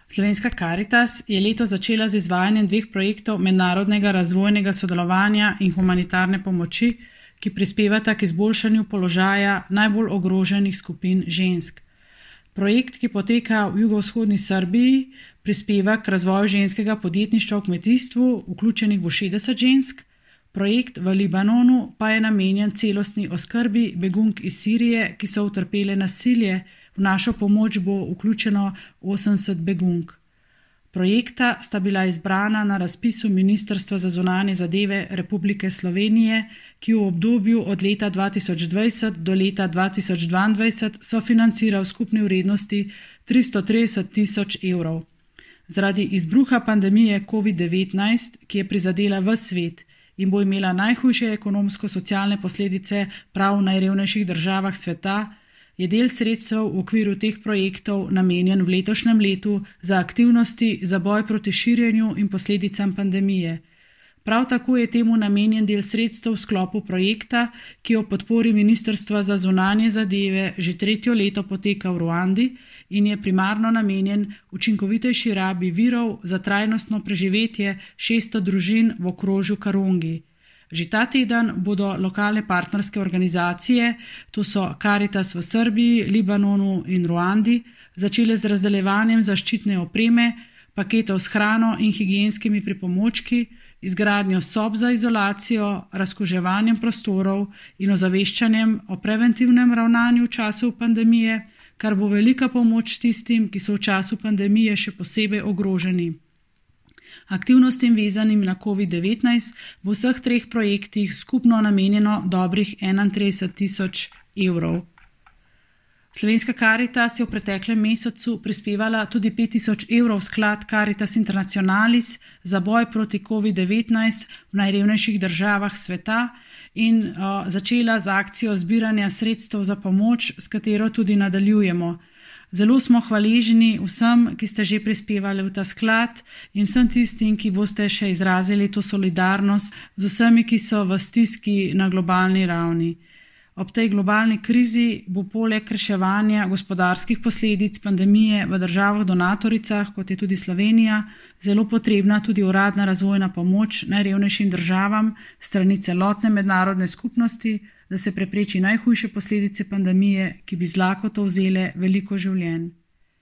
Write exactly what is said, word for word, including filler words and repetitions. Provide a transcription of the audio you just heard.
Slovenska Karitas je letos začela z izvajanjem dveh projektov mednarodnega razvojnega sodelovanja in humanitarne pomoči, ki prispevata k izboljšanju položaja najbolj ogroženih skupin žensk. Projekt, ki poteka v jugovzhodni Srbiji, prispeva k razvoju ženskega podjetništva v kmetijstvu, vključenih bo šestdeset žensk. Projekt v Libanonu pa je namenjen celostni oskrbi begunk iz Sirije, ki so utrpele nasilje. V našo pomoč bo vključeno osemdeset begunk. Projekta sta bila izbrana na razpisu Ministrstva za zunanje zadeve Republike Slovenije, ki v obdobju od leta dva tisoč dvajset do leta dva tisoč dvaindvajset sofinancira v skupni vrednosti tristo trideset tisoč evrov. Zaradi izbruha pandemije covid devetnajst, ki je prizadela ves svet in bo imela najhujše ekonomsko-socialne posledice prav v najrevnejših državah sveta, je del sredstev v okviru teh projektov namenjen v letošnjem letu za aktivnosti za boj proti širjenju in posledicam pandemije. Prav tako je temu namenjen del sredstev v sklopu projekta, ki o podpori Ministrstva za zunanje zadeve že tretjo leto poteka v Ruandi in je primarno namenjen učinkovitejši rabi virov za trajnostno preživetje šeststo družin v okrožju Karongi. Že ta teden bodo lokalne partnerske organizacije, to so Karitas v Srbiji, Libanonu in Ruandi, začele z razdeljevanjem zaščitne opreme, paketov s hrano in higienskimi pripomočki, izgradnjo sob za izolacijo, razkuževanjem prostorov in ozaveščanjem o preventivnem ravnanju v času pandemije, kar bo velika pomoč tistim, ki so v času pandemije še posebej ogroženi. Aktivnostim vezanim na covid devetnajst bo v vseh treh projektih skupno namenjeno dobrih enaintrideset tisoč evrov. Slovenska Karitas je v preteklem mesecu prispevala tudi pet tisoč evrov v sklad Caritas Internationalis za boj proti covid devetnajst v najrevnejših državah sveta in uh, začela z akcijo zbiranja sredstev za pomoč, s katero tudi nadaljujemo. Zelo smo hvaležni vsem, ki ste že prispevali v ta sklad in vsem tistim, ki boste še izrazili to solidarnost z vsemi, ki so v stiski na globalni ravni. Ob tej globalni krizi bo poleg reševanja gospodarskih posledic pandemije v državah donatoricah, kot je tudi Slovenija, zelo potrebna tudi uradna razvojna pomoč najrevnejšim državam strani celotne mednarodne skupnosti, da se prepreči najhujše posledice pandemije, ki bi z lakoto vzele veliko življenj.